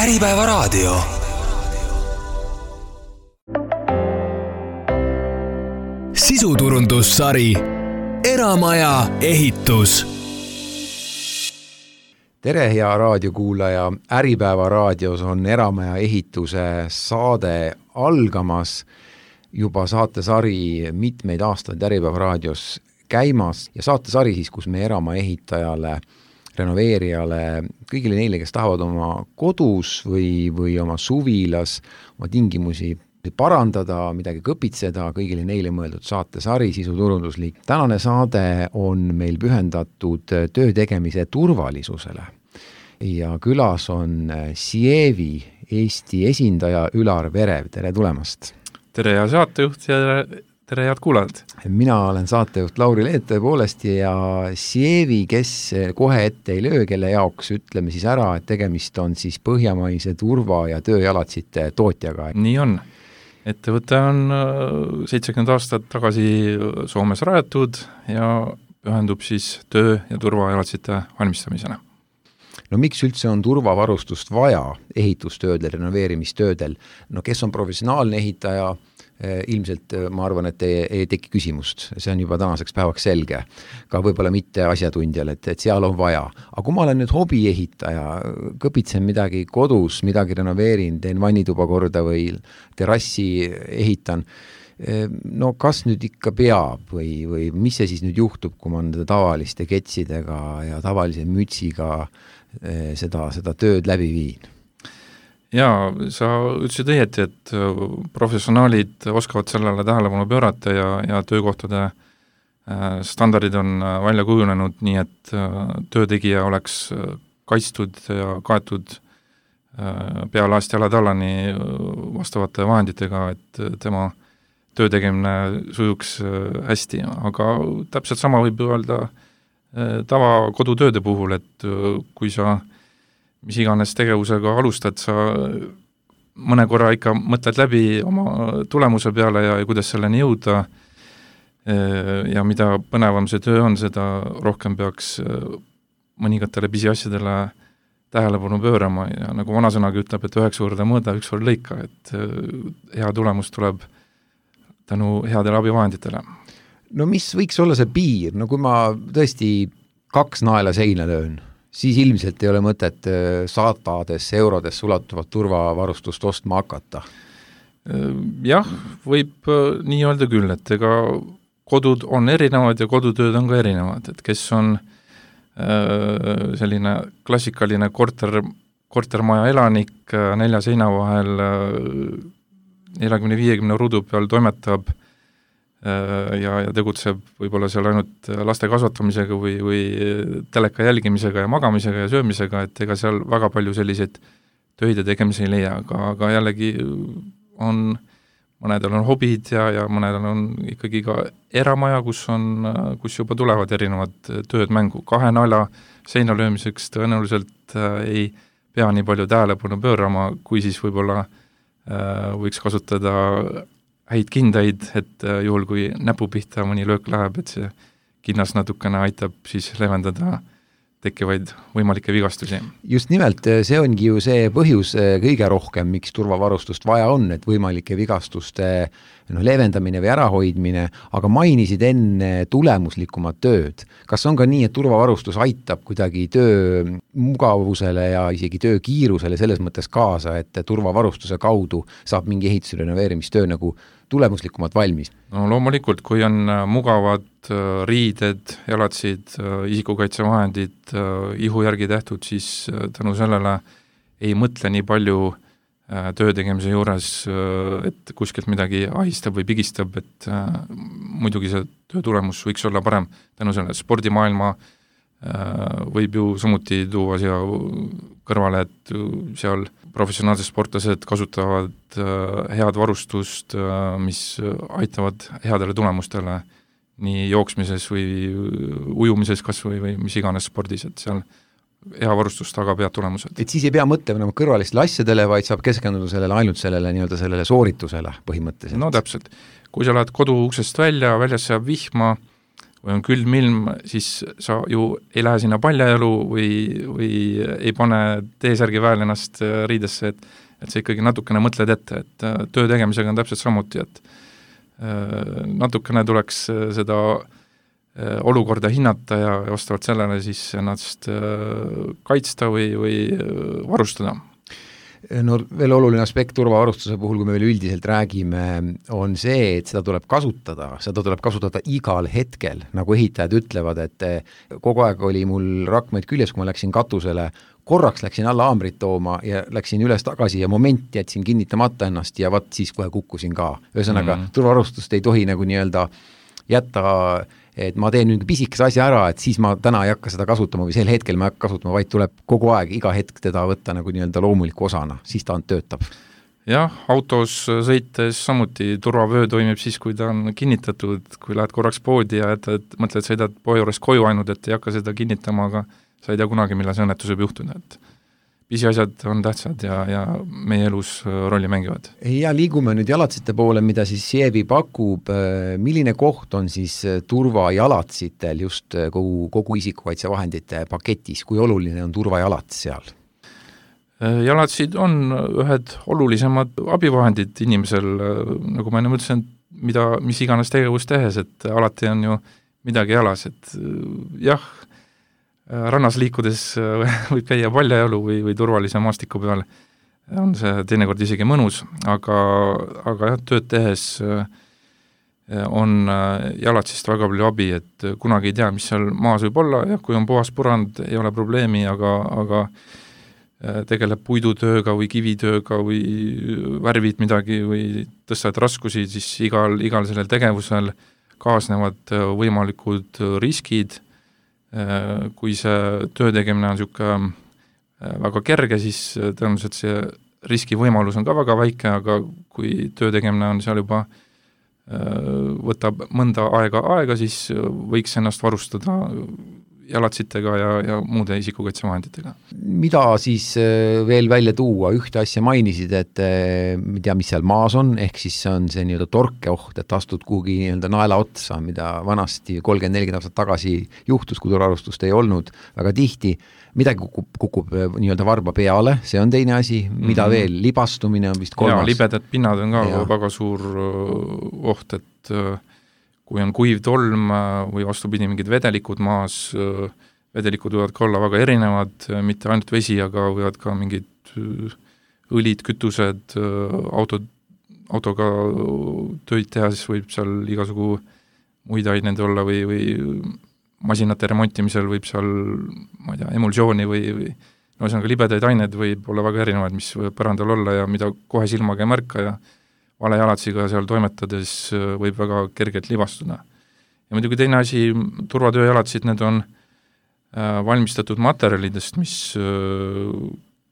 Äripäeva raadio. Sisuturundussari Eramaja ehitus. Tere, hea raadiokuulaja. Äripäeva raadios on Eramaja ehituse saade algamas. Juba saatesari mitmeid aastaid Äripäeva raadios käimas ja saatesari siis, kus me Eramaja ehitajale, renoveerijale, kõigile neile, kes tahavad oma kodus või oma suvilas oma tingimusi parandada, midagi kõpitseda, kõigile neile mõeldud saatesari Sisuturunduslik. Tänane saade on meil pühendatud töö tegemise turvalisusele ja külas on Sievi Eesti esindaja Ülar Verev. Tere tulemast! Tere, hea saatejuht ja tere, head kuulajad! Mina olen saatejuht Lauri Leet tõepoolest ja Sievi, kes kohe ette ei löö, kelle jaoks ütleme siis ära, et tegemist on siis põhjamaise turva- ja tööjalatsite tootjaga. Nii on. Ettevõte on 70 aastat tagasi Soomes rajatud ja pühendub siis töö- ja turvajalatsite valmistamisena. No miks üldse on turvavarustust vaja ehitustöödel, renoveerimistöödel? No kes on professionaalne ehitaja, ilmselt ma arvan, et ei teki küsimust. See on juba tänaseks päevaks selge. Ka võib-olla mitte asjatundjal, et seal on vaja. Aga kui ma olen nüüd hobiehitaja, kõpitsen midagi kodus, midagi renoveerin, teen vannituba korda või terrassi ehitan, no kas nüüd ikka peab või mis see siis nüüd juhtub, kui ma tavaliste ketsidega ja tavalise mütsiga seda tööd läbi viin? Jaa, sa ütlesid õieti, et professionaalid oskavad sellele tähelepanu pöörata ja töökohtade standardid on välja kujunenud nii, et töötegija oleks kaitstud ja kaetud pealaast jalatallani vastavate vahenditega, et tema töö tegemine sujuks hästi, aga täpselt sama võib öelda tava kodutööde puhul, et kui sa mis iganes tegevusega alustad, sa mõne korra ikka mõtled läbi oma tulemuse peale ja kuidas selleni jõuda ja mida põnevam see töö on, seda rohkem peaks mõningatele pisiasjadele tähelepanu pöörama ja nagu vanasõnagi ütleb, et 9 korda mõõda, 1 kord lõika, et hea tulemus tuleb tänu headele abivahenditele. No mis võiks olla see piir? No kui ma tõesti 2 naela seina löön, siis ilmselt ei ole mõtet sadades eurodes ulatuvat turvavarustust ostma hakata. Jah, võib nii öelda küll, et ega kodud on erinevad ja kodutööd on ka erinevad, et kes on selline klassikaline kortermaja elanik 4 seina vahel 40-50 ruudu peal toimetab ja tegutseb võib-olla seal ainult laste kasvatamisega või teleka jälgimisega ja magamisega ja söömisega, et ega seal väga palju selliseid töid ja tegemisi ei leia, aga jällegi mõnedel on hobid ja mõnedel on ikkagi ka eramaja, kus juba tulevad erinevad tööd mängu. 2 naela seina löömiseks tõenäoliselt ei pea nii palju tähelepanu pöörama, kui siis võib-olla võiks kasutada häid kindaid, et juhul kui näpu pihta mõni löök läheb, et see kinnas natukene aitab siis leevendada tekkivaid võimalikke vigastusi. Just nimelt, see ongi ju see põhjus kõige rohkem, miks turvavarustust vaja on, et võimalike vigastuste leevendamine või ärahoidmine, aga mainisid enne tulemuslikumat tööd. Kas on ka nii, et turvavarustus aitab kuidagi töö mugavusele ja isegi töö kiirusele selles mõttes kaasa, et turvavarustuse kaudu saab mingi ehitus- ja renoveerimistöö nagu tulemuslikumalt valmis? No loomulikult, kui on mugavad riided, jalatsid, isikukaitsevahendid, ihu järgi tehtud, siis tänu sellele ei mõtle nii palju töö tegemise juures, et kuskilt midagi ahistab või pigistab, et muidugi see töö tulemus võiks olla parem tänu selle spordimaailma võib ju samuti tuua siia kõrvale, et seal professionaalsed sportlased kasutavad head varustust, mis aitavad headele tulemustele nii jooksmises või ujumises kas või mis iganes spordis, et seal hea varustus tagab head tulemused. Et siis ei pea mõtlema kõrvalistele asjadele, vaid saab keskenduda sellele ainult sellele sooritusele põhimõtteliselt. No täpselt. Kui sa lähed kodu uksest väljas jääb vihma, või on külm ilm, siis sa ju ei lähe sinna paljajalu või ei pane T-särgi väel ennast riidesse, et sa ikkagi natukene mõtled ette, et töö tegemisega on täpselt samuti, et natukene tuleks seda olukorda hinnata ja vastavalt sellele siis ennast kaitsta või varustada. No veel oluline aspekt turvavarustuse puhul, kui me veel üldiselt räägime, on see, et seda tuleb kasutada igal hetkel, nagu ehitajad ütlevad, et kogu aeg oli mul rakmeid küljes, kui ma läksin katusele, korraks läksin alla haamrit tooma ja läksin üles tagasi ja moment jätsin kinnitamata ennast ja siis kohe kukkusin ka. Ühesõnaga, turvarustust ei tohi nagu nii-öelda jätta, et ma teen mingi pisikese asja ära, et siis ma täna ei hakka seda kasutama või sel hetkel ma ei hakka kasutama, vaid tuleb kogu aeg, iga hetk teda võtta nagu nii-öelda loomuliku osana, siis ta töötab. Jah, autos sõites samuti turvavöö toimib siis, kui ta on kinnitatud, kui lähed korraks poodi ja mõtled, sõidad poe juures koju ainult, et ei hakka seda kinnitama, aga sa ei tea kunagi, millal see õnnetus võib juhtuda, et pisiasjad on tähtsad ja meie elus rolli mängivad. Ja liigume nüüd jalatsite poole, mida siis Sievi pakub. Milline koht on siis turvajalatsitel just kogu isikukaitsevahendite paketis? Kui oluline on turvajalats seal? Jalatsid on ühed olulisemad abivahendid inimesel, nagu ma enne mõtlesin, mis iganes tegevus tehes, et alati on ju midagi jalas, et jah, rannas liikudes võib käia paljajalu või turvalise maastiku peal, on see teinekord isegi mõnus, aga jah, tööd tehes on jalatsist väga palju abi, et kunagi ei tea, mis seal maas võib olla, ja kui on puhas põrand, ei ole probleemi, aga tegeleb puidutööga või kivitööga või värvid midagi või tõstad raskusi, siis igal sellel tegevusel kaasnevad võimalikud riskid. Kui see töö tegemine on niisugune väga kerge, siis tõenäoliselt see riski võimalus on ka väga väike, aga kui töö tegemine on seal juba võtab mõnda aega, siis võiks ennast varustada jalatsitega ja muude isikukaitsevahenditega. Mida siis veel välja tuua? Ühte asja mainisid, et ei tea, mis seal maas on, ehk siis on see nii-öelda torkeoht, et astud kuhugi nii-öelda naela otsa, mida vanasti 30-40 aastat tagasi juhtus, kui turvarustust ei olnud väga tihti. Midagi kukub nii-öelda varba peale, see on teine asi, mida veel? Libastumine on vist kolmas. Ja libedad pinnad on ka väga suur oht, et kui on kuiv tolm või vastupidi mingid vedelikud maas, vedelikud võivad ka olla väga erinevad, mitte ainult vesi, aga võivad ka mingid õlid, kütused, autoga tööd teha, siis võib seal igasugu muid aineid olla või masinate remontimisel võib seal, ma ei tea, emulsiooni või ühesõnaga libedaid aineid võib olla väga erinevaid, mis võib põrandal olla ja mida kohe silmaga ei märka ja vale jalatsiga seal toimetades võib väga kergelt libastuda. Ja muidugi teine asi, turvatöö jalatsid, need on valmistatud materjalidest, mis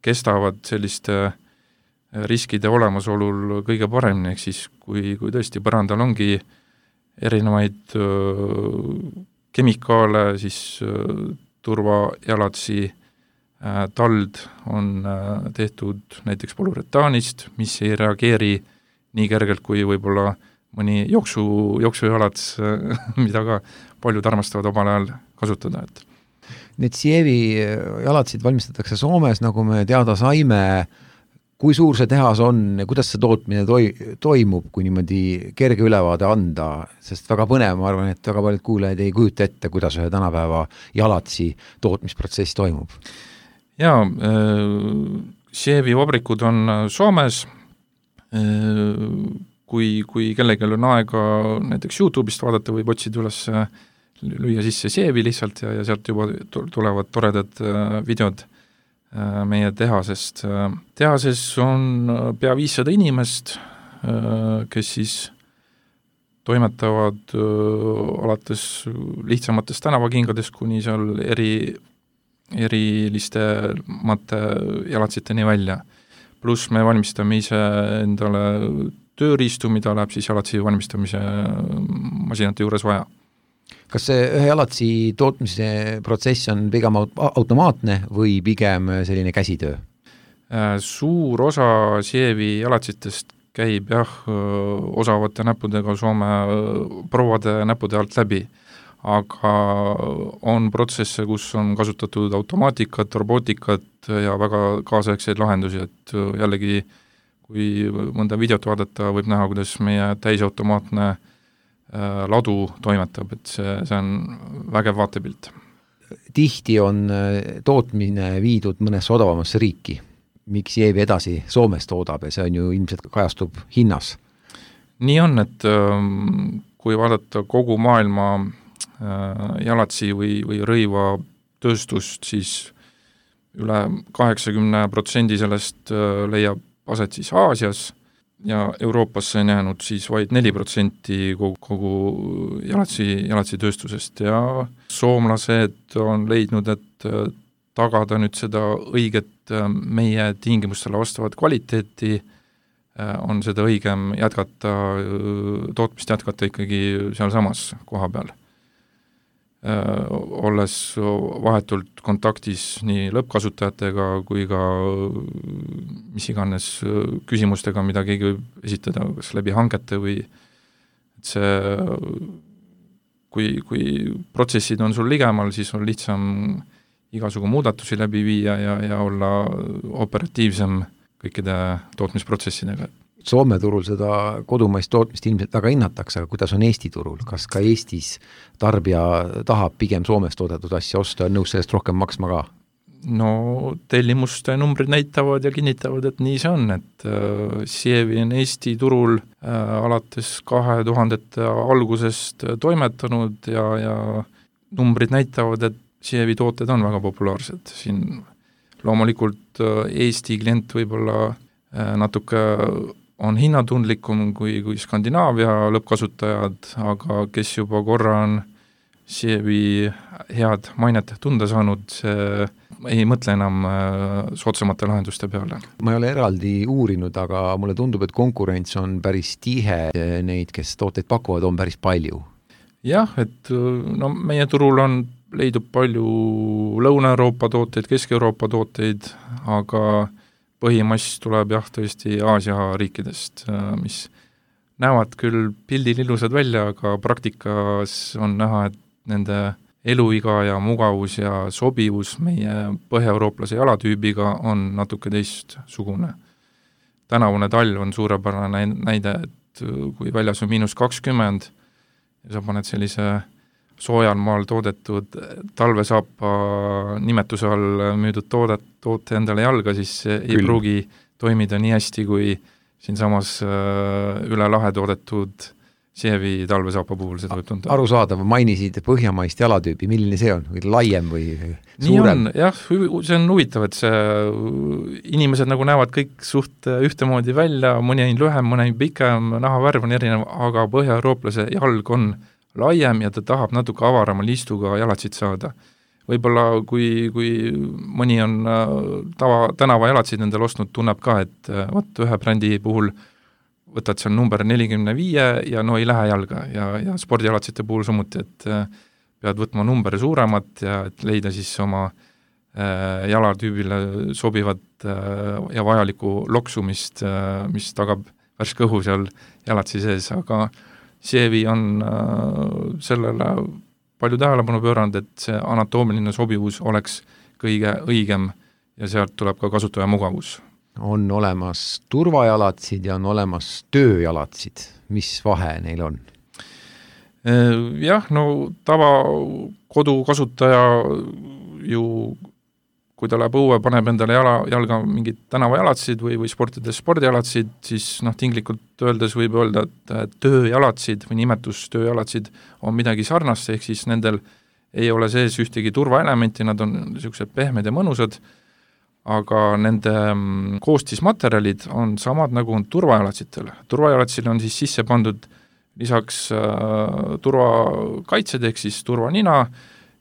kestavad selliste riskide olemasolul kõige paremini, ehk siis kui tõesti põrandal ongi erinevaid kemikaale, siis turvajalatsi tald on tehtud näiteks polüretaanist, mis ei reageeri nii kergelt kui võib-olla mõni jooksujalats, mida ka paljud armastavad omal ajal kasutada. Need Sievi jalatsid valmistatakse Soomes, nagu me teada saime. Kui suur see tehas on, kuidas see tootmine toimub, kui niimoodi kerge ülevaade anda, sest väga põnev, ma arvan, et väga paljud kuulajad ei kujuta ette, kuidas ühe tänapäeva jalatsi tootmisprotsess toimub. Jaa, Sievi vabrikud on Soomes. Kui kellelgi on aega näiteks YouTube'ist vaadata, võib otsida üles, lüüa sisse Sievi lihtsalt ja sealt juba tulevad toredad videod meie tehasest. Tehases on pea 500 inimest, kes siis toimetavad alates lihtsamatest tänavakingadest kuni seal eriliste jalatsiteni välja. Pluss me valmistame ise endale tööriistu, mida läheb siis jalatsi valmistamise masinate juures vaja. Kas see ühe jalatsi tootmise protsess on pigem automaatne või pigem selline käsitöö? Suur osa Sievi jalatsitest käib osavate näppudega Soome prouade näppude alt läbi, aga on protsesse, kus on kasutatud automaatikat, robootikat ja väga kaasaegseid lahendusi, et jällegi kui mõnda videot vaadata, võib näha, kuidas meie täisautomaatne ladu toimetab, et see on vägev vaatepilt. Tihti on tootmine viidud mõnesse odavamasse riiki. Miks Sievi edasi Soomes toodab ja see on ju ilmselt kajastub hinnas? Nii on, et kui vaadata kogu maailma jalatsi või rõiva tööstust, siis üle 80% sellest leiab aset siis Aasias ja Euroopasse on jäänud siis vaid 4% kogu jalatsi tööstusest ja soomlased on leidnud, et tagada nüüd seda õiget meie tingimustele vastavat kvaliteeti, on seda õigem tootmist jätkata ikkagi sealsamas koha peal. Olles vahetult kontaktis nii lõppkasutajatega kui ka mis iganes küsimustega, mida keegi võib esitada, kas läbi hangete või et see, kui protsessid on sul ligemal, siis on lihtsam igasugu muudatusi läbi viia ja olla operatiivsem kõikide tootmisprotsessidega. Soome turul seda kodumaist tootmist ilmselt väga hinnatakse, aga kuidas on Eesti turul? Kas ka Eestis tarbija tahab pigem Soomes toodetud asja osta ja nõus sellest rohkem maksma ka? No tellimuste numbrid näitavad ja kinnitavad, et nii see on, et Sievi on Eesti turul alates 2000 algusest toimetanud ja numbrid näitavad, et Sievi tooted on väga populaarsed. Siin loomulikult Eesti klient võib-olla natuke on hinnatundlikum kui Skandinaavia lõppkasutajad, aga kes juba korra on Sievi head mainet tunda saanud, ei mõtle enam soodsamate lahenduste peale. Ma ei ole eraldi uurinud, aga mulle tundub, et konkurents on päris tihe, neid, kes tooteid pakuvad, on päris palju. Jah, et no meie turul leidub palju Lõuna-Euroopa tooteid, Kesk-Euroopa tooteid, aga põhimass tuleb jah tõesti Aasia riikidest, mis näevad küll pildil ilusad välja, aga praktikas on näha, et nende eluiga ja mugavus ja sobivus meie põhja-eurooplase jalatüübiga on natuke teistsugune. Tänavune talv on suurepärane näide, et kui väljas on -20 ja sa paned sellise soojal maal toodetud talvesaapa nimetuse all müüdud toote endale jalga, siis ei pruugi toimida nii hästi, kui siinsamas üle lahe toodetud Sievi talvesaapa puhul seda võib tunda. Arusaadav, mainisid põhjamaist jalatüübi, milline see on? Või laiem või suurem? Nii on, jah, see on huvitav, et inimesed nagu näevad kõik suht ühtemoodi välja, mõni on lühem, mõni pikem, nahavärv on erinev, aga põhja-eurooplase jalg on laiem ja ta tahab natuke avarama liistuga jalatsid saada. Võib-olla kui mõni on tänava jalatsid endale ostnud, tunneb ka, et ühe brändi puhul võtad seal number 45 ja no ei lähe jalga ja spordialatsite puhul samuti, et pead võtma number suuremat ja et leida siis oma jalatüübile sobivat ja vajalikku loksumist, mis tagab värske õhu seal jalatsi sees, aga Sievi on sellele palju tähelepanu pööranud, et see anatoomiline sobivus oleks kõige õigem ja sealt tuleb ka kasutaja mugavus. On olemas turvajalatsid ja on olemas tööjalatsid. Mis vahe neil on? Jah, no tava kodukasutaja ju, kui ta läheb õue, paneb endale jalga mingid tänavajalatsid või sportides spordijalatsid, siis tinglikult öeldes võib öelda, et tööjalatsid või nimetus tööjalatsid on midagi sarnast, ehk siis nendel ei ole sees ühtegi turvaelementi, nad on niisugused pehmed ja mõnusad, aga nende koostismaterjalid on samad nagu on turvajalatsitel. Turvajalatsil on siis sisse pandud lisaks turvakaitsed ehk siis turvanina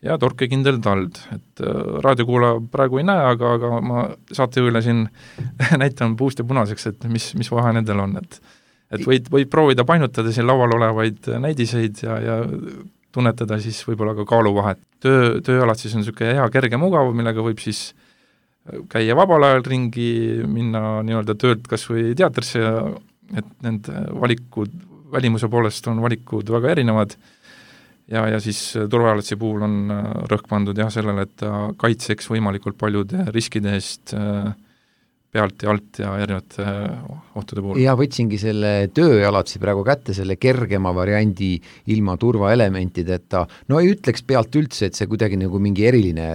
ja torkekindel tald, et raadiokuulaja praegu ei näe, aga ma saatejuhile siin näitan puust ja punaseks, et mis vahe nendel on, et võid proovida painutada siin laual olevaid näidiseid ja tunnetada siis võib-olla ka kaaluvahet. Tööjalad siis on niisugune hea kerge mugav, millega võib siis käia vabal ajal ringi, minna nii-öelda töölt kas või teatrisse, et need valikud, välimuse poolest on valikud väga erinevad ja siis turvajalatsi puhul on rõhk pandud jah sellele, et ta kaitseks võimalikult paljude riskide eest pealt ja alt ja erinevate ohtude puhul. Ja võtsingi selle tööjalatsi praegu kätte, selle kergema variandi ilma turvaelementideta. No ei ütleks pealt üldse, et see kuidagi nagu mingi eriline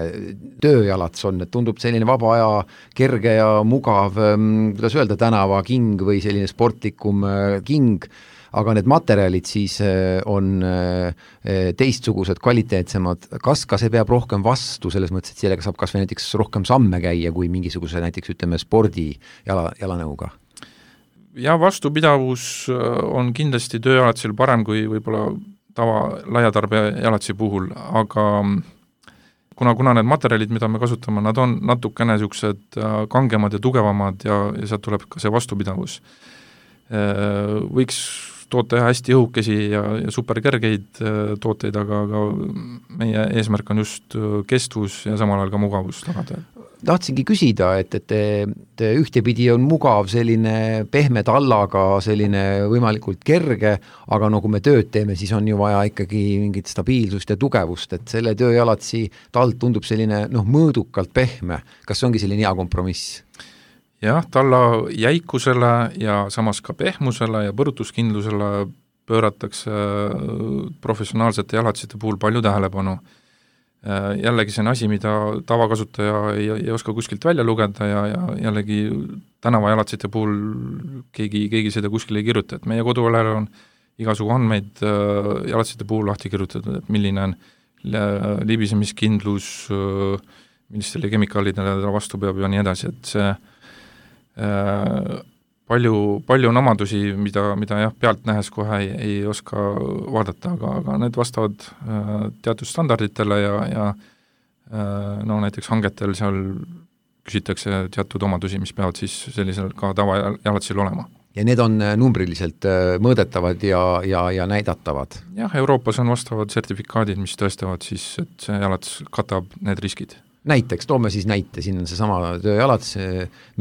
tööjalats on, et tundub selline vaba aja kerge ja mugav, kuidas öelda, tänava king või selline sportlikum king, aga need materjalid siis on teistsugused, kvaliteetsemad. Kas ka see peab rohkem vastu, selles mõttes, et sellega saab kas või näiteks rohkem samme käia kui mingisuguse näiteks, ütleme, spordi jalanõuga? Ja vastupidavus on kindlasti tööjalatsil parem kui võib-olla tava laiatarbe jalatsi puhul, aga kuna need materjalid, mida me kasutame, nad on natukene niisugused kangemad ja tugevamad ja sealt tuleb ka see vastupidavus. Võiks toota hästi õhukesi ja superkergeid tooteid, aga meie eesmärk on just kestvus ja samal ajal ka mugavus tagada. Tahtsingi küsida, et te ühtepidi on mugav selline pehme tallaga, selline võimalikult kerge, aga no kui me tööd teeme, siis on ju vaja ikkagi mingit stabiilsust ja tugevust, et selle tööjalatsi tald tundub selline mõõdukalt pehme. Kas see ongi selline hea kompromiss? Jah, talla jäikusele ja samas ka pehmusele ja põrutuskindlusele pööratakse professionaalsete jalatsite puhul palju tähelepanu. Jällegi see on asi, mida tavakasutaja ei oska kuskilt välja lugeda ja jällegi tänavajalatsite puhul keegi seda kuskil ei kirjuta, et meie kodulehel on igasugu andmeid jalatsite puhul lahti kirjutatud, et milline on libisemiskindlus, millistele kemikaalidele ta vastu peab ja nii edasi, et see palju on omadusi, mida jah, pealt nähes kohe ei oska vaadata, aga need vastavad teatud standarditele ja näiteks hangetel seal küsitakse teatud omadusi, mis peavad siis sellisel ka tavajalatsil olema. Ja need on numbriliselt mõõdetavad ja näidatavad? Jah, Euroopas on vastavad sertifikaadid, mis tõestavad siis, et see jalats katab need riskid. Näiteks, toome siis näite, siin on see sama tööjalats,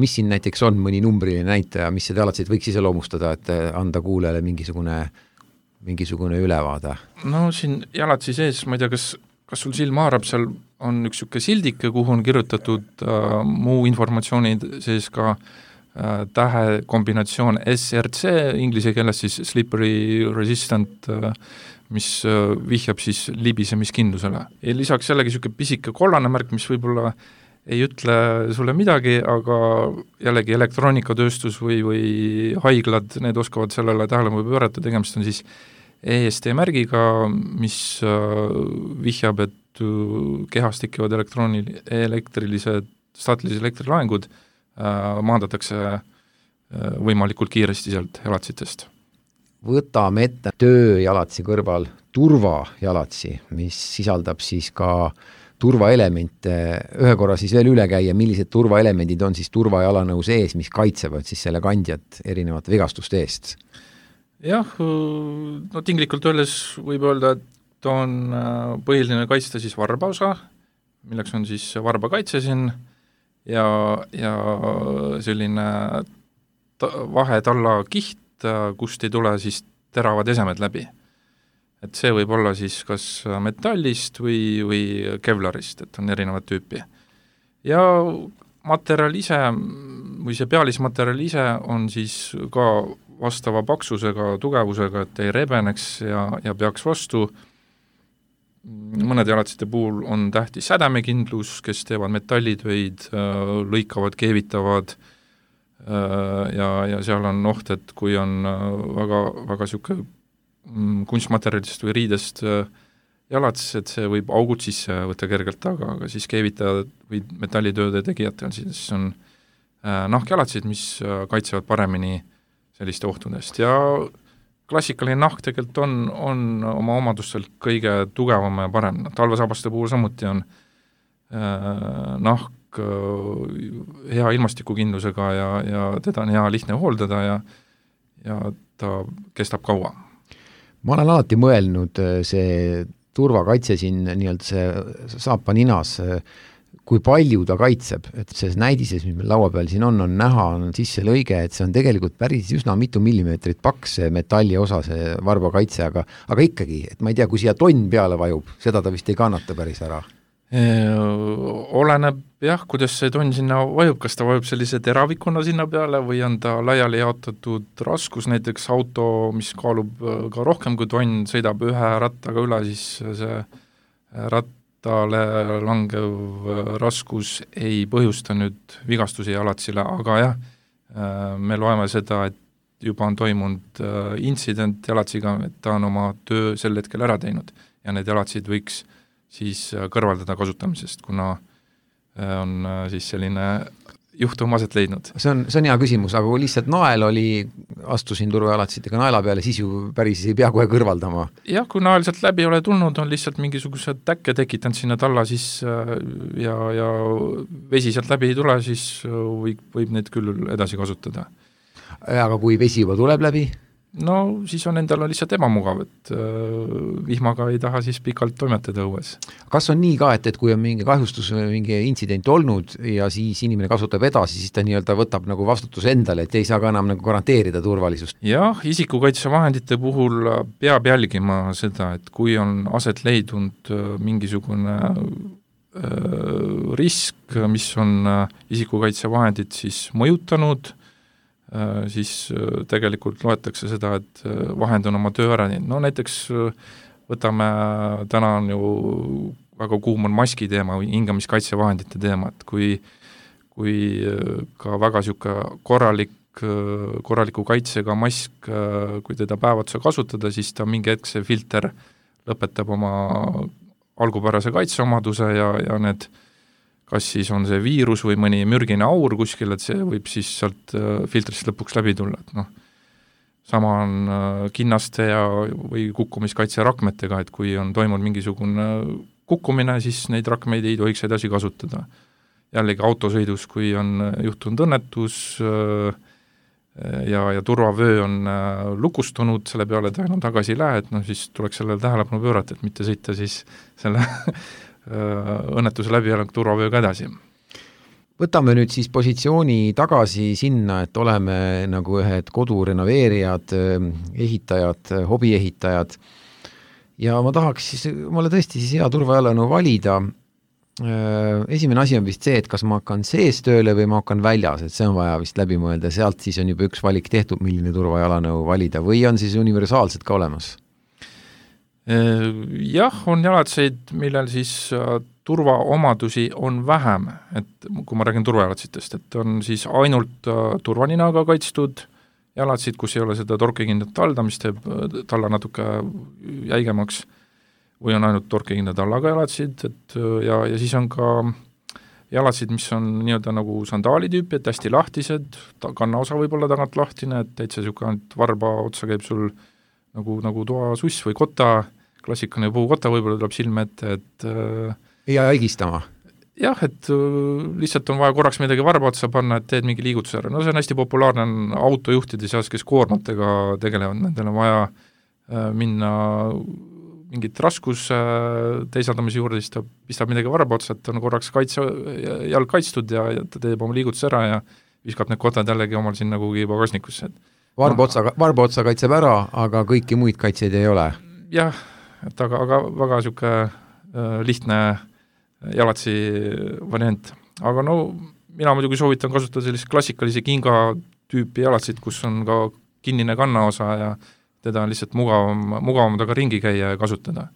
mis siin näiteks on mõni numbriline näitaja, mis see jalatsid võiks iseloomustada, et anda kuulajale mingisugune ülevaade? No siin jalatsi sees, ma ei tea, kas sul silma haarab, seal on üks niisugune sildike, kuhu on kirjutatud muu informatsiooni sees ka tähe kombinatsioon SRC, inglise keeles siis slippery resistant, mis vihjab siis libisemiskindlusele. Ja lisaks jällegi niisugune pisike kollane märk, mis võib-olla ei ütle sulle midagi, aga jällegi elektroonikatööstus või haiglad, need oskavad sellele tähelepanu pöörata, tegemist on siis EST märgiga, mis vihjab, et kehas tekivad elektrilised, staatilised elektrilaengud maandatakse võimalikult kiiresti sealt jalatsitest. Võtame ette tööjalatsi kõrval turvajalatsi, mis sisaldab siis ka turvaelemente. Ühe korra siis veel üle käia, millised turvaelemendid on siis turvajalanõu sees, mis kaitsevad siis selle kandjat erinevate vigastuste eest? Jah, no tinglikult öeldes võib öelda, et on põhiline kaitsta siis varbaosa, milleks on siis varbakaitse siin ja selline vahetalla kiht, kust ei tule siis teravad esemed läbi. Et see võib olla siis kas metallist või kevlarist, et on erinevat tüüpi. Ja materjal ise, või see pealismaterjal ise on siis ka vastava paksusega, tugevusega, et ei rebeneks ja peaks vastu. Mõned jalatsite puhul on tähtis sädemekindlus, kes teevad metallitöid, lõikavad, keevitavad, ja seal on oht, et kui on väga siuke kunstmaterjalist või riidest jalats, et see võib augud sisse võtta kergelt, aga siis keevitajad või metallitööde tegijatel siis on nahkjalatsid, mis kaitsevad paremini selliste ohtudest ja klassikaline nahk tegelikult on oma omadustelt kõige tugevam ja parem. Talvesabaste puhul samuti on nahk hea ilmastikukindlusega ja teda on hea lihtne hooldada ja ta kestab kaua. Ma olen alati mõelnud see turvakaitse siin nii-öelda see saapa ninas kui palju ta kaitseb, et see näidises, mis meil laua peal siin on näha, on sisse lõige, et see on tegelikult päris üsna mitu millimeetrit paks see metalli osa, see varbakaitse, aga ikkagi, et ma ei tea, kui siia tonn peale vajub, seda ta vist ei kannata päris ära. Oleneb jah, kuidas see tonn sinna vajub, kas ta vajub sellise teravikuna sinna peale või on ta laiali jaotatud raskus, näiteks auto, mis kaalub ka rohkem kui tonn, sõidab ühe rattaga üle, siis see rattale langev raskus ei põhjusta nüüd vigastusi jalatsile, aga jah, me loeme seda, et juba on toimunud intsident jalatsiga, et ta on oma töö sel hetkel ära teinud ja need jalatsid võiks siis kõrvaldada kasutamisest, kuna on siis selline juhtum aset leidnud. See on hea küsimus, aga kui lihtsalt nael oli, astusin turvajalatsidega naela peale, siis ju päris ei pea kohe kõrvaldama. Jah, kui nael sealt läbi ole tulnud, on lihtsalt mingisugused täkke tekitanud sinna talla siis ja vesi sealt läbi ei tule, siis võib need küll edasi kasutada. Aga kui vesi juba tuleb läbi? No siis on endal lihtsalt ebamugav, et vihmaga ei taha siis pikalt toimetada õues. Kas on nii ka, et kui on mingi kahjustus või mingi intsident olnud ja siis inimene kasutab edasi, siis ta nii-öelda võtab nagu vastutuse endale, et ei saa ka enam nagu garanteerida turvalisust? Jah, isikukaitsevahendite puhul peab jälgima seda, et kui on aset leidnud mingisugune risk, mis on isikukaitsevahendid siis mõjutanud, siis tegelikult loetakse seda, et vahend on oma töö ära teinud. No näiteks võtame, täna on ju väga kuum on maski teema või hingamiskaitsevahendite teema, et kui ka väga siuke korraliku kaitsega mask, kui teda päev otsa kasutada, siis ta mingi hetk see filter lõpetab oma algupärase kaitseomaduse ja need kas siis on see viirus või mõni mürgine aur kuskil, et see võib siis sealt filtrist lõpuks läbi tulla, et noh, sama on kinnaste või kukkumiskaitse rakmetega, et kui on toimunud mingisugune kukkumine, siis neid rakmeid ei tohiks edasi kasutada. Jällegi autosõidus, kui on juhtunud õnnetus ja turvavöö on lukustunud, selle peale ta enam tagasi ei lähe, et noh, siis tuleks sellele tähelepanu pöörata, et mitte sõita siis selle õnnetuse läbi ja turvavööga edasi. Võtame nüüd siis positsiooni tagasi sinna, et oleme nagu ühed kodurenoveerijad, ehitajad, hobiehitajad ja ma tahaks siis, mulle tõesti siis hea turvajalanõu valida. Esimene asi on vist see, et kas ma hakkan sees tööle või ma hakkan väljas, et see on vaja vist läbi mõelda, sealt siis on juba üks valik tehtud, milline turvajalanõu valida või on siis universaalsed ka olemas? Jah, on jalatseid, millel siis turvaomadusi on vähem, et kui ma räägin turvajalatsitest, et on siis ainult turvaninaga kaitstud jalatsid, kus ei ole seda torkekindlat talda, mis teeb talla natuke jäigemaks, või on ainult torkekindla tallaga jalatsid, et ja siis on ka jalatsid, mis on nii-öelda nagu sandaali tüüpi, et hästi lahtised, kannaosa võib olla tagant lahtine, et täitsa niisugune varba otsa käib sul nagu toasuss või kota, klassikaline puukota võib-olla tuleb silme ette, et ja haigistama. Jah, et lihtsalt on vaja korraks midagi varba otsa panna, et teed mingi liigutuse ära. No see on hästi populaarne on autojuhtide seas, kes koormatega tegelevad, nendel on vaja minna mingit raskus teisaldamise juurde, siis ta pistab midagi varba otsa, et on korraks jalg kaitstud ja ta teeb oma liigutuse ära ja viskab need kotad jällegi omal sinna kuhugi pagasnikusse. Varba otsa kaitseb ära, aga kõiki muid kaitseid ei ole? Jah, et aga väga niisugune lihtne jalatsi variant. Aga no mina muidugi soovitan kasutada sellist klassikalise kinga tüüpi jalatsid, kus on ka kinnine kannaosa ja teda on lihtsalt mugavam taga ringi käia ja kasutada.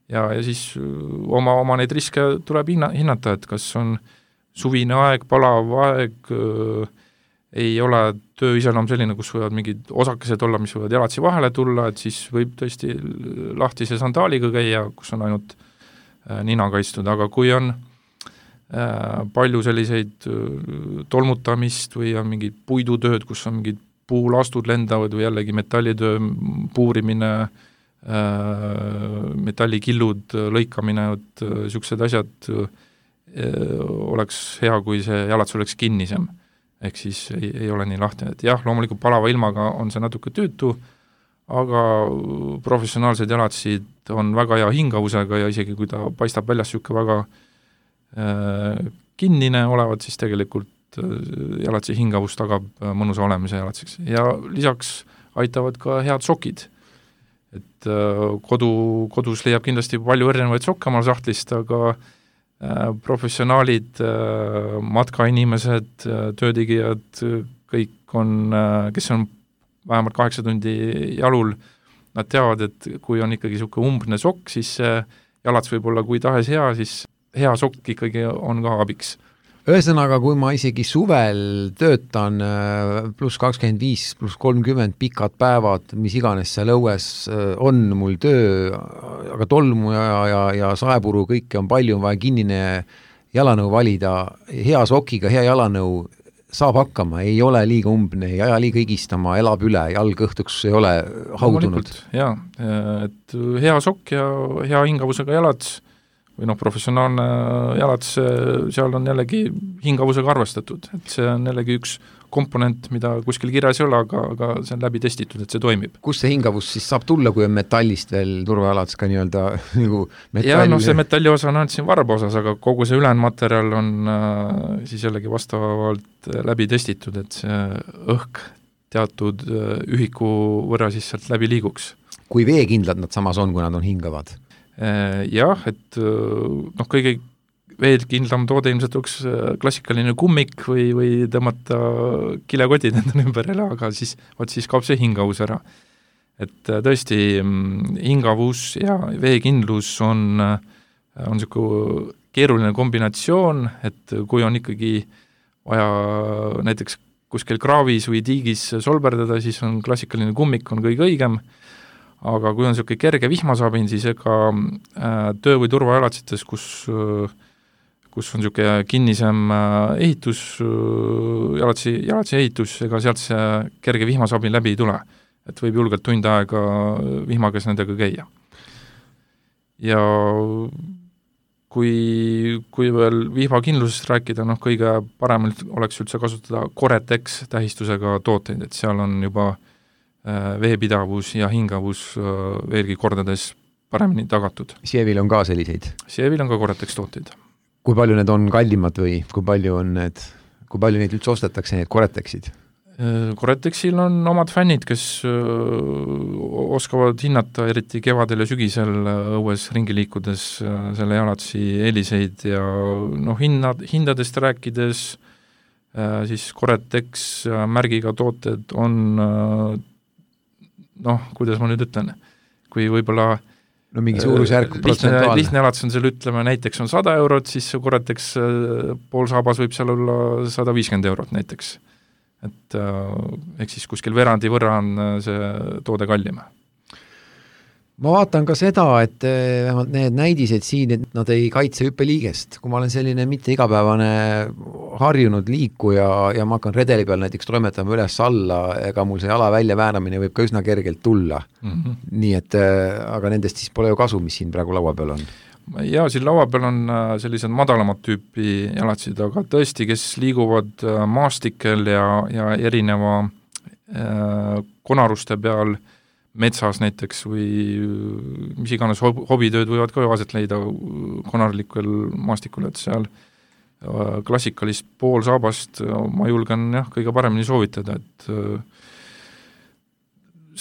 Ja siis oma neid riske tuleb hinnata, et kas on suvine aeg, palav aeg, ei ole töö iseloom selline, kus võivad mingid osakesed olla, mis võivad jalatsi vahele tulla, et siis võib tõesti lahtise sandaaliga käia, kus on ainult nina kaitstud, aga kui on palju selliseid tolmutamist või on mingid puidutööd, kus on mingid puulastud lendavad või jällegi metallitöö puurimine, metallikillud lõikamine, et niisugused asjad oleks hea, kui see jalats oleks kinnisem. Ehk siis ei ole nii lahtine, et jah, loomulikult palava ilmaga on see natuke tüütu, aga professionaalsed jalatsid on väga hea hingavusega ja isegi kui ta paistab väljas niisugune väga kinnine olevat, siis tegelikult jalatsi hingavus tagab mõnusa olemise jalatsiks ja lisaks aitavad ka head sokid. Et kodus leiab kindlasti palju erinevaid sokke omal sahtlist, aga professionaalid, matkainimesed, töötegijad, kõik on, kes on vähemalt 8 tundi jalul, nad teavad, et kui on ikkagi niisugune umbne sokk, siis jalats võib olla kui tahes hea, siis hea sokk ikkagi on ka abiks. Ühesõnaga, kui ma isegi suvel töötan pluss 25, pluss 30 pikad päevad, mis iganes seal õues on mul töö, aga tolmu ja saepuru kõike on palju, on vaja kinnine jalanõu valida, hea sokiga, hea jalanõu saab hakkama, ei ole liiga umbne, ei aja liiga higistama, elab üle, jalg õhtuks ei ole haudunud. Jaa, et hea sokk ja hea hingavusega jalats või professionaalne jalats, seal on jällegi hingavusega arvestatud, et see on jällegi üks komponent, mida kuskil kirjas ei ole, aga see on läbi testitud, et see toimib. Kus see hingavus siis saab tulla, kui on metallist veel turvajalats ka nii-öelda nagu metall? Ja see metalli osa on ainult siin varba osas, aga kogu see ülejäänud materjal on siis jällegi vastavalt läbi testitud, et see õhk teatud ühiku võrra siis sealt läbi liiguks. Kui veekindlad nad samas on, kui nad on hingavad? Jah, et kõige veekindlam toode ilmselt oleks klassikaline kummik või tõmmata kilekotid endale ümberele, aga siis kaob see hingavus ära. Et tõesti hingavus ja veekindlus on niisugune keeruline kombinatsioon, et kui on ikkagi vaja näiteks kuskil kraavis või tiigis solberdada, siis on klassikaline kummik on kõige õigem, aga kui on niisugune kerge vihmasabin, siis ega töö- või turvajalatsites, kus on niisugune kinnisem ehitus, jalatsi ehitus, ega sealt see kerge vihmasabin läbi ei tule. Et võib julgelt tund aega vihmagas nendega käia. Ja kui veel vihmakindlusest rääkida, kõige parem oleks üldse kasutada Coretex tähistusega tooteid, et seal on juba veepidavus ja hingavus veelgi kordades paremini tagatud. Sievil on ka selliseid? Sievil on ka Coretex tooteid. Kui palju need on kallimad või kui palju neid üldse ostetakse, need Coretexid? Coretexil on omad fännid, kes oskavad hinnata eriti kevadel ja sügisel õues ringi liikudes selle jalatsi eeliseid ja hindadest rääkides siis Coretex märgiga tooted on kuidas ma nüüd ütlen, kui võib-olla mingi suurusjärk protsentuaalne. Lihtne jalats on seal, ütleme, näiteks on 100 eurot, siis Coretex pool saabas võib seal olla 150 eurot näiteks. Et ehk siis kuskil verandi võrra on see toode kallim. Ma vaatan ka seda, et vähemalt need näidised siin, et nad ei kaitse hüppeliigest. Kui ma olen selline mitte igapäevane harjunud liikuja ja ma hakkan redeli peal näiteks toimetama üles alla, ega mul see jala välja vääramine võib ka üsna kergelt tulla. Nii et, aga nendest siis pole ju kasu, mis siin praegu laua peal on. Ja siin laua peal on sellised madalamat tüüpi jalatsid, aga tõesti, kes liiguvad maastikel ja erineva konaruste peal metsas näiteks või mis iganes hobitööd võivad ka aset leida konarlikul maastikul, et seal klassikalist poolsaabast ma julgen kõige paremini soovitada, et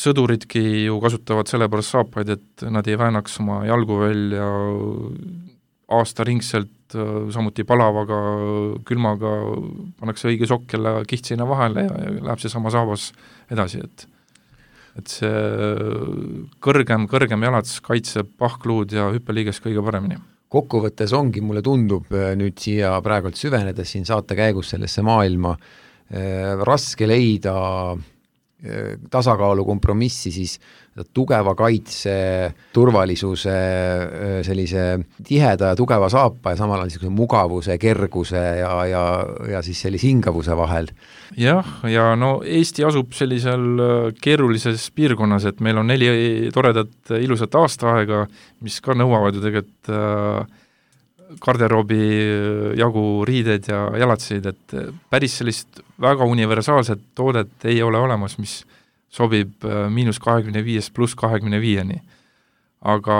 sõduridki ju kasutavad sellepärast saapaid, et nad ei väänaks oma jalgu välja aastaringselt, samuti palavaga, külmaga pannakse õige sokk jälle kihtseina vahele ja läheb see sama saabas edasi, et see kõrgem jalats kaitseb pahkluud ja hüppeliiges kõige paremini. Kokkuvõttes ongi, mulle tundub nüüd siia praegult süvenedes siin saate käigus sellesse maailma raske leida tasakaalu kompromissi siis tugeva kaitse, turvalisuse, sellise tiheda ja tugeva saapa ja samal ajal mugavuse, kerguse ja siis sellise hingavuse vahel. Jah, ja Eesti asub sellisel keerulises piirkonnas, et meil on 4 toredat ilusat aastaaega, mis ka nõuavad ju tegelikult garderoobi jagu riided ja jalatseid, et päris sellist väga universaalset toodet ei ole olemas, mis sobib -25 + 25-ni. Aga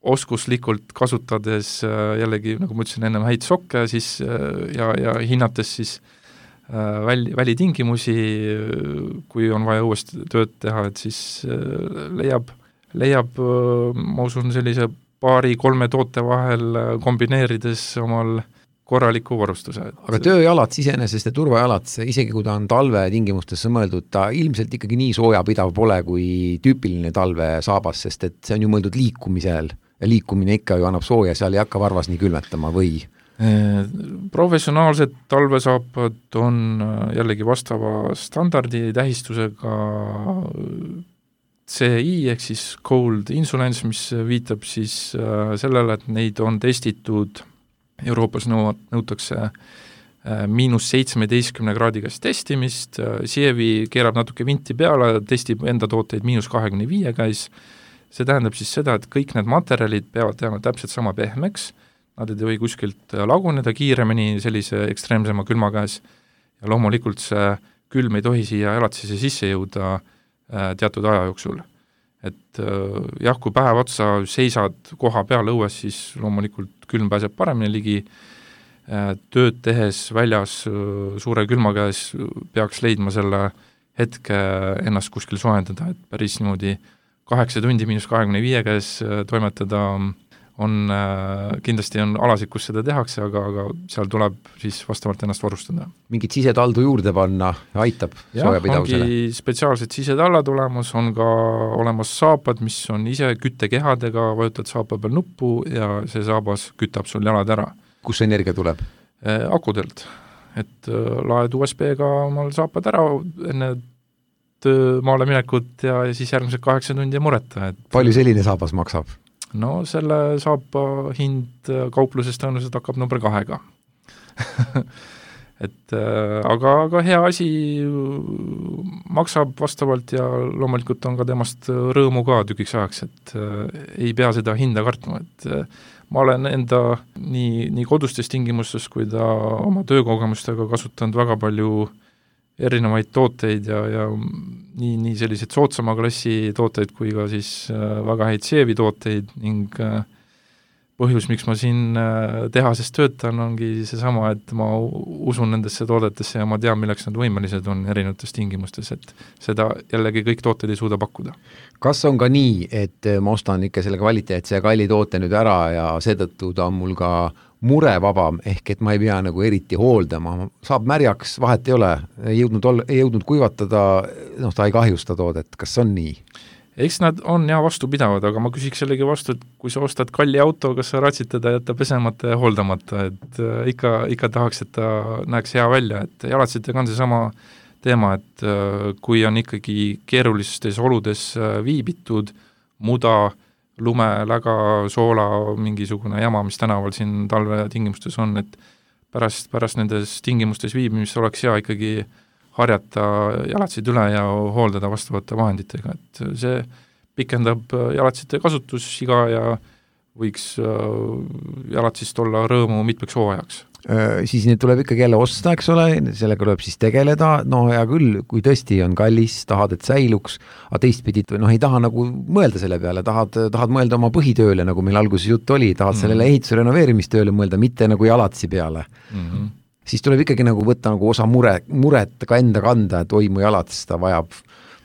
oskuslikult kasutades jällegi, nagu ma ütlesin ennem, häid sokke siis ja hinnates siis välitingimusi, kui on vaja uuesti tööd teha, et siis leiab, ma usun, sellise 2-3 toote vahel kombineerides omal korraliku varustuse. Aga tööjalats iseenesest ja turvajalats, isegi kui ta on talve tingimustesse mõeldud, ta ilmselt ikkagi nii soojapidav pole kui tüüpiline talvesaabas, sest et see on ju mõeldud liikumisel ja liikumine ikka ju annab sooja, seal ei hakka varvas nii külmetama või? Professionaalsed talvesaapad on jällegi vastava standardi tähistusega CI ehk siis Cold Insulence, mis viitab siis sellele, et neid on testitud, Euroopas nõutakse -17 kraadi käes testimist, Sievi keerab natuke vinti peale, testib enda tooteid -25 käes, see tähendab siis seda, et kõik need materjalid peavad jääma täpselt sama pehmeks, nad ei tohi kuskilt laguneda kiiremini sellise ekstreemsema külma käes ja loomulikult see külm ei tohi siia elatisesse sisse jõuda teatud aja jooksul. Et jah, kui päev otsa seisad koha peal õues, siis loomulikult külm pääseb paremini ligi, tööd tehes väljas suure külma käes peaks leidma selle hetke ennast kuskil soojendada, et päris niimoodi 8 tundi -25 käes toimetada kindlasti on alasid, kus seda tehakse, aga seal tuleb siis vastavalt ennast varustada. Mingit sisetaldu juurde panna aitab soojapidavusele? Ongi spetsiaalsed sisetallad olemas, on ka olemas saapad, mis on ise küttekehadega, vajutad saapa peal nuppu ja see saabas kütab sul jalad ära. Kus see energia tuleb? Akudelt, et laed USB-ga omal saapad ära enne töömaale minekut ja siis järgmised 8 tundi mureta. Palju selline saabas maksab? No selle saapa hind kaupluses tõenäoliselt hakkab number 2-ga. et aga hea asi maksab vastavalt ja loomulikult on ka temast rõõmu ka tükiks ajaks, et ei pea seda hinda kartma, et ma olen enda nii kodustes tingimustes kui ta oma töökogemustega kasutanud väga palju erinevaid tooteid ja nii sellised soodsama klassi tooteid kui ka siis väga häid Sievi tooteid ning põhjus, miks ma siin tehases töötan, ongi seesama, et ma usun nendesse toodetesse ja ma tean, milleks nad võimelised on erinevates tingimustes, et seda jällegi kõik tooted ei suuda pakkuda. Kas on ka nii, et ma ostan ikka selle kvaliteetse ja kalli toote nüüd ära ja seetõttu ta on mul ka murevabam, ehk et ma ei pea nagu eriti hooldama, saab märjaks, vahet ei ole, ei jõudnud kuivatada, ta ei kahjusta toodet, kas on nii? Eks nad on vastupidavad, aga ma küsiks jällegi vastu, et kui sa ostad kalli auto, kas sa ratsid teda jätta pesemata ja hooldamata, et ikka tahaks, et ta näeks hea välja, et jalatsitega on seesama teema, et kui on ikkagi keerulistes oludes viibitud, muda, lume, läga, soola, mingisugune jama, mis tänaval siin talve tingimustes on, et pärast nendes tingimustes viibimist oleks hea ikkagi harjata jalatsid üle ja hooldada vastavate vahenditega, et see pikendab jalatsite kasutusiga ja võiks jalatsist olla rõõmu mitmeks hooajaks. Siis need tuleb ikkagi jälle osta, eks ole, sellega tuleb siis tegeleda, no hea küll, kui tõesti on kallis, tahad, et säiluks, aga teistpidi, ei taha nagu mõelda selle peale, tahad mõelda oma põhitööle, nagu meil alguses jutt oli, tahad sellele ehituse renoveerimistööle mõelda, mitte nagu jalatsi peale. Siis tuleb ikkagi nagu võtta nagu osa muret ka enda kanda, et oi, mu jalats, ta vajab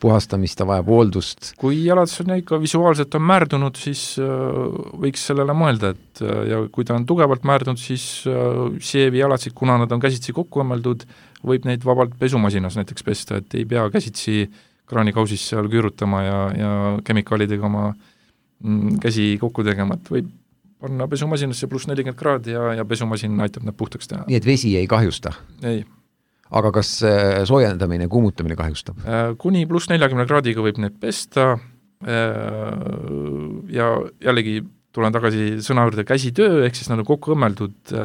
puhastamist, ta vajab hooldust. Kui jalats on ikka visuaalselt on määrdunud, siis võiks sellele mõelda, et ja kui ta on tugevalt määrdunud, siis Sievi jalatsid, kuna nad on käsitsi kokku õmmeldud, võib neid vabalt pesumasinas näiteks pesta, et ei pea käsitsi kraanikausis seal küürutama ja kemikaalidega oma käsi kokku tegema, et võib panna pesumasinasse pluss 40 kraadi ja pesumasin aitab need puhtaks teha. Nii et vesi ei kahjusta? Ei. Aga kas soojendamine, kuumutamine kahjustab? Kuni pluss 40 kraadiga võib need pesta ja jällegi tulen tagasi sõna juurde käsitöö, ehk siis nad on kokku õmmeldud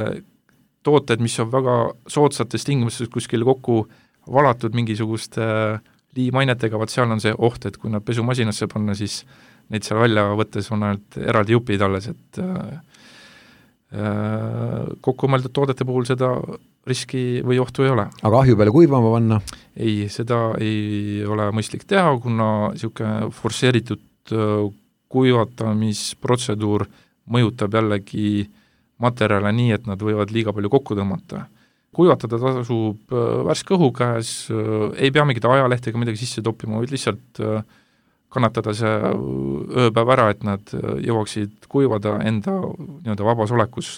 tooted, mis on väga soodsates tingimustes kuskil kokku valatud mingisuguste liimainetega, vaat seal on see oht, et kui nad pesumasinasse panna, siis neid seal välja võttes on ainult eraldi jupid alles, et kokku mõeldud toodete puhul seda riski või ohtu ei ole. Aga ahju peale kuivama panna? Ei, seda ei ole mõistlik teha, kuna niisugune forsseeritud kuivatamisprotseduur mõjutab jällegi materjale nii, et nad võivad liiga palju kokku tõmmata. Kuivatada tasub värske õhu käes, ei pea mingit ajalehtega midagi sisse toppima, vaid lihtsalt kannatada see ööpäev ära, et nad jõuaksid kuivada enda nii-öelda vabas olekus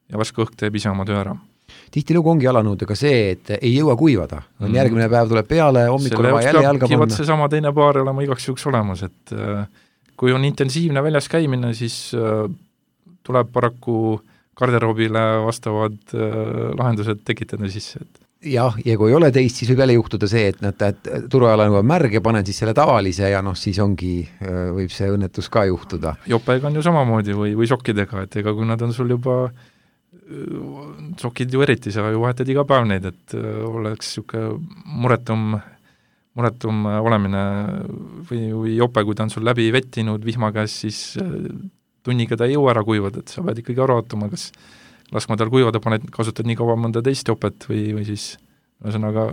ja värske õhk teeb ise oma töö ära. Tihtilugu ongi jalanõudega see, et ei jõua kuivada. Järgmine päev tuleb peale, hommikul on jälle jalga panna. See sama teine paar olema igaks juhuks olemas, et kui on intensiivne väljas käimine, siis tuleb paraku garderoobile vastavad lahendused tekitada sisse. Jah, ja kui ei ole teist, siis võib jälle juhtuda see, et turvajala on märg ja panen siis selle tavalise ja siis ongi, võib see õnnetus ka juhtuda. Jopega on ju samamoodi või sokkidega, et ega kui nad on sul juba sokid ju eriti, sa ju vahetad iga päev neid, et oleks niisugune muretum olemine või jope, kui ta on sul läbi vettinud vihma käes, siis tunniga ta ei jõua ära kuivada, et sa pead ikkagi aru ootama, kas laskma tal kuivada, kasutad nii kaua mõnda teist jopet või siis ühesõnaga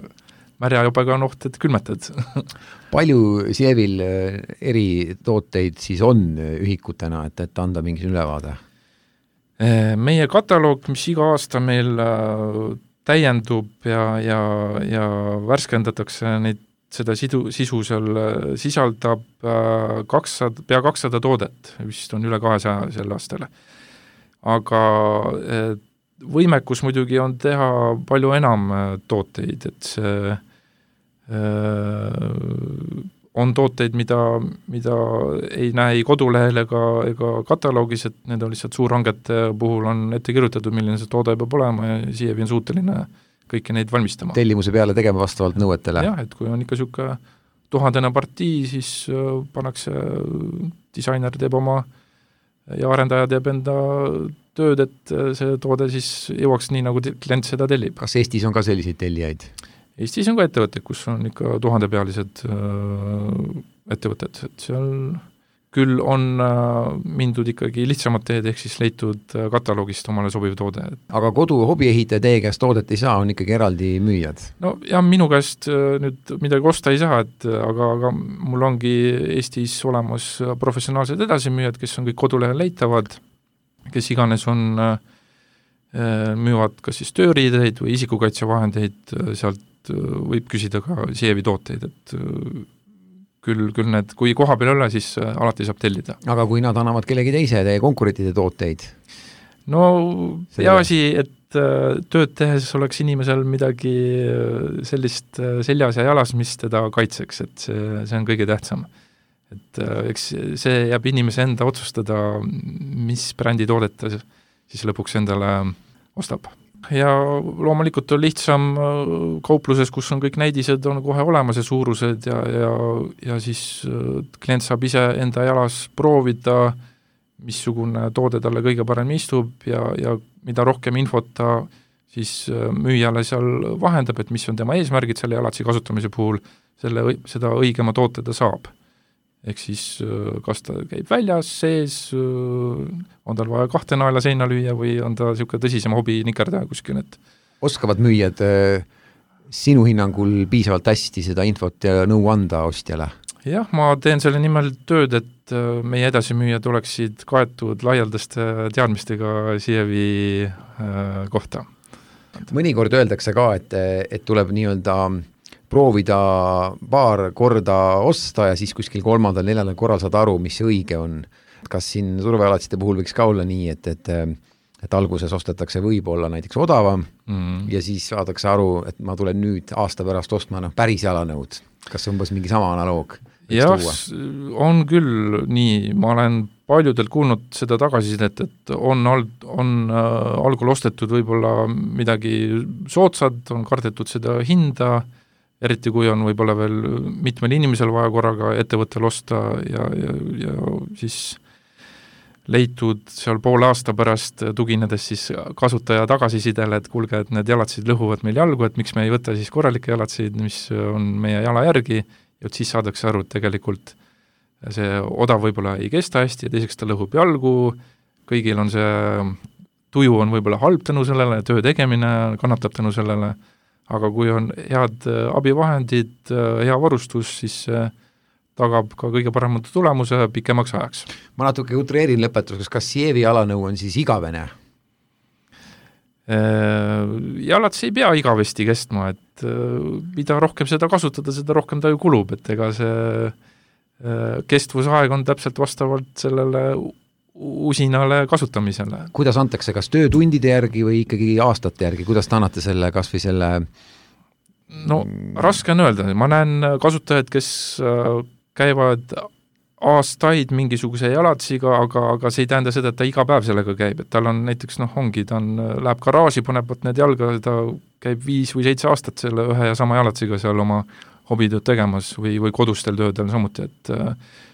märja jopega on oht, et külmetad. Palju Sievil eri tooteid siis on ühikutena, et anda mingi ülevaade? Meie kataloog, mis iga aasta meil täiendub ja värskendatakse seda sisu seal sisaldab pea 200 toodet, vist on üle 200 sel aastal. Aga võimekus muidugi on teha palju enam tooteid, et see on tooteid, mida ei näe ei kodulehel ega kataloogis, et need on lihtsalt suurhangete puhul on ette kirjutatud, milline see toode peab olema ja Sievi on suuteline kõiki neid valmistama. Tellimuse peale tegema vastavalt nõuetele? Jah, et kui on ikka niisugune 1000 partii, siis pannakse, disainer teeb oma ja arendaja teeb enda tööd, et see toode siis jõuaks nii, nagu klient seda tellib. Kas Eestis on ka selliseid tellijaid? Eestis on ka ettevõtted, kus on ikka 1000-pealised ettevõtted, et seal küll on mindud ikkagi lihtsamad teed, ehk siis leitud kataloogist omale sobiv toode. Aga kodu hobiehitaja teie käest toodet ei saa, on ikkagi eraldi müüjad? No ja minu käest nüüd midagi osta ei saa, aga mul ongi Eestis olemas professionaalsed edasimüüjad, kes on kõik kodulehel leitavad, kes iganes on müüvad kas siis tööriideid või isikukaitsevahendeid, sealt võib küsida ka Sievi tooteid, et küll need, kui koha peal ole, siis alati saab tellida. Aga kui nad annavad kellegi teise teie konkurentide tooteid? No peaasi, et tööd tehes oleks inimesel midagi sellist seljas ja jalas, mis teda kaitseks, et see on kõige tähtsam. Et eks see jääb inimese enda otsustada, mis brändi toodet ta siis lõpuks endale ostab. Ja loomulikult on lihtsam kaupluses, kus on kõik näidised, on kohe olemas ja suurused ja siis klient saab ise enda jalas proovida, missugune toode talle kõige parem istub ja mida rohkem infot ta siis müüjale seal vahendab, et mis on tema eesmärgid selle jalatsi kasutamise puhul, seda õigema toote ta saab. Ehk siis kas ta käib väljas, sees, on tal vaja 2 naela seina lüüa või on ta niisugune tõsisem hobi nikerdaja kuskil, et oskavad müüjad sinu hinnangul piisavalt hästi seda infot ja nõu anda ostjale? Jah, ma teen selle nimel tööd, et meie edasimüüjad oleksid kaetud laialdaste teadmistega Sievi kohta. Mõnikord öeldakse ka, et tuleb nii-öelda proovida paar korda osta ja siis kuskil 3.-4. korral saad aru, mis see õige on. Kas siin turvajalatsite puhul võiks ka olla nii, et alguses ostetakse võib-olla näiteks odavam ja siis saadakse aru, et ma tulen nüüd aasta pärast ostma päris jalanõud. Kas umbes mingi sama analoog? Jah, on küll nii. Ma olen paljudelt kuulnud seda tagasisidet, et on algul ostetud võib-olla midagi soodsad, on kardetud seda hinda, eriti kui on võib-olla veel mitmel inimesel vaja korraga ettevõttel osta ja siis leitud seal poole aasta pärast tuginedes siis kasutaja tagasisidele, et kuulge, et need jalatsid lõhuvad meil jalgu, et miks me ei võta siis korralikke jalatsid, mis on meie jala järgi, ja siis saadakse aru, et tegelikult see odav võib-olla ei kesta hästi ja teiseks ta lõhub jalgu, kõigil on see tuju on võib-olla halb tänu sellele, töö tegemine kannatab tänu sellele, aga kui on head abivahendid, hea varustus, siis tagab ka kõige paremad tulemuse pikemaks ajaks. Ma natuke utreerin lõpetuseks, kas Sievi jalanõu on siis igavene? Jalad ei pea igavesti kestma, et mida rohkem seda kasutada, seda rohkem ta ju kulub, et ega see kestvusaeg on täpselt vastavalt sellele usinale kasutamisele. Kuidas antakse, kas töötundide järgi või ikkagi aastate järgi, kuidas te annate selle kas või selle? No raske on öelda, ma näen kasutajaid, kes käivad aastaid mingisuguse jalatsiga, aga see ei tähenda seda, et ta iga päev sellega käib, et tal on näiteks, läheb garaaži, paneb need jalga, ta käib 5 või 7 aastat selle ühe ja sama jalatsiga seal oma hobitööd tegemas või kodustel töödel samuti, et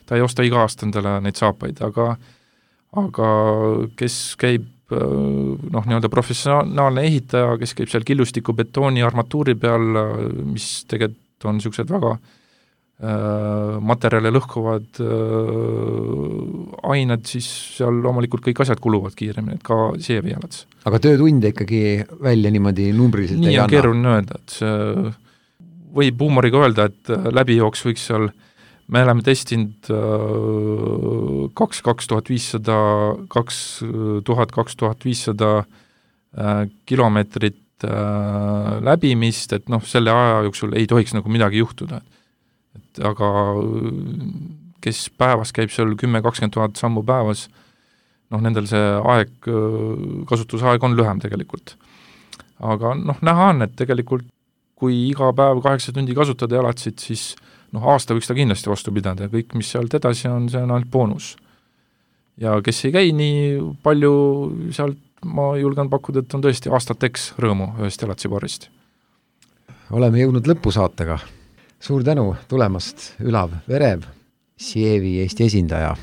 ta ei osta iga aasta endale neid saapaid, aga kes käib nii-öelda professionaalne ehitaja, kes käib seal killustiku betooni armatuuri peal, mis tegelikult on niisugused väga materjale lõhkuvad ained, siis seal loomulikult kõik asjad kuluvad kiiremini, et ka Sievi jalats. Aga töötunde ikkagi välja niimoodi numbriliselt nii on keeruline öelda, et see võib huumoriga öelda, et läbijooks võiks seal, me oleme testinud 2500 kilomeetrit läbimist, et selle aja jooksul ei tohiks nagu midagi juhtuda. Et aga kes päevas käib seal 10-20 000 sammu päevas, nendel see aeg, kasutusaeg on lühem tegelikult. Aga näha on, et tegelikult kui iga päev 8 tundi kasutada jalatsid, siis aasta võiks ta kindlasti vastu pidada ja kõik, mis sealt edasi on, see on ainult boonus. Ja kes ei käi nii palju sealt, ma julgen pakkuda, et on tõesti aastateks rõõmu ühest jalatsipaarist. Oleme jõudnud lõpusaatega. Suur tänu tulemast, Ülav Verev, Sievi Eesti esindaja,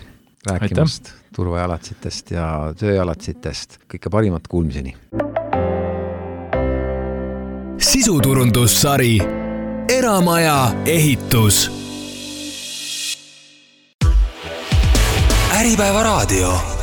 rääkimast turvajalatsitest ja tööjalatsitest. Kõike parimat kuulmiseni. Sisuturundussari Eramaja ehitus. Äripäeva raadio.